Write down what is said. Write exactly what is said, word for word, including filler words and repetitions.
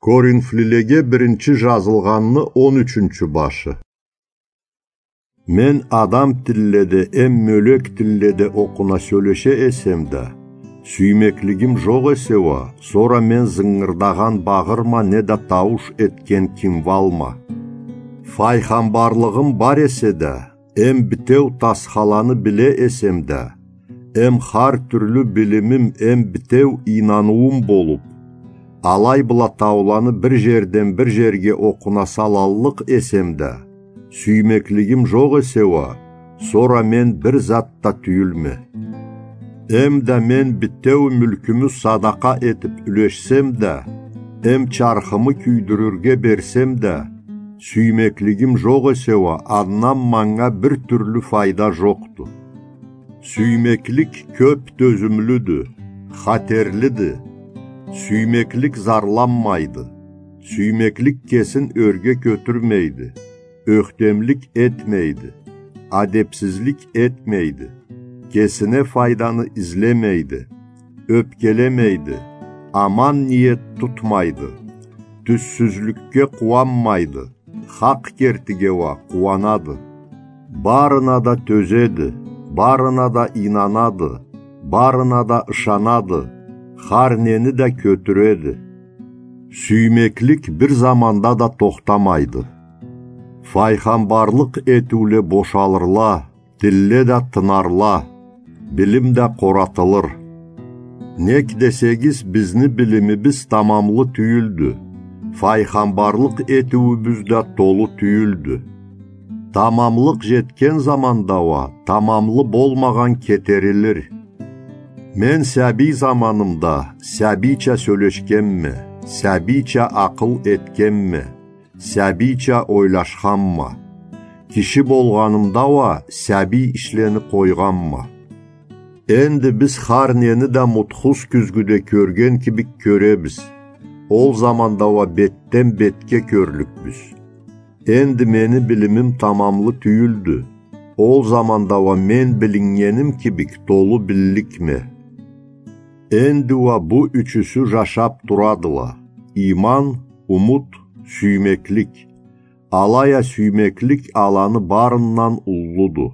Коринфлилеге биринчи жазылгъанны он ючюнчю башы. Мен адам тилледе эм мёлек тилледе окъуна сёлеше эсем да, сюймеклигим жокъ эсе уа, сора мен зынгырдагъан багъырма неда таууш этген кимвалма. Файгъамбарлыгъым бар эсе да, эм битеу тасхаланы биле эсем да, эм хар тюрлю билимим эм битеу ийнаныуум болуп, алай бла тауланы бир жерден бир жерге окъуна салаллыкъ эсем да, сюймеклигим жокъ эсе уа, сора мен бир зат да тюйюлме. Эм да мен битеу мюлкюмю садакъа этип юлешсем да, эм чархымы кюйдюрюрге берсем да, сюймеклигим жокъ эсе уа, андан манга бир тюрлю файда жокъду. Сюймеклик кёп тёзюмлюдю, хатерлиди. Сюймеклик зарланмайды. Сюймеклик кесин ёрге кётюрмейди. Ёхтемлик этмейди. Адепсизлик этмейди. Кесине файданы излемейди. Ёпкелемейди. Аман ниет тутмайды. Тюзсюзлюкге къууанмайды. Хакъ кертиге уа къууанады. Барына да тёзеди, барына да ийнанады, барына да ышанады, хар нени да кётюреди. Сюймеклик бир заманда да тохтамайды. Файгъамбарлыкъ этиуле бошалырла, тилле да тынарла, билим да къоратылыр. Нек десегиз, бизни билимибиз тамамлы тюйюлдю, файгъамбарлыкъ этиуюбюз да толу тюйюлдю. Тамамлыкъ жетген заманда уа тамамлы болмагъан кетерилир. Мен сабий заманымда сабийча сёлешгенме, сабийча акъыл этгенме, сабийча ойлашханма. Киши болгъанымда уа сабий ишлени къойгъанма. Энди биз хар нени да мутхуз кюзгюде кёрген кибик кёребиз. Ол заманда уа бетден бетге кёрлюкбюз. Энди мени билимим тамамлы тюйюлдю. Ол заманда уа мен билиннгеним кибик толу билликме. Энди уа бу ючюсю жашап турадыла: ийман, умут, сюймеклик. Алай а сюймеклик аланы барындан уллуду.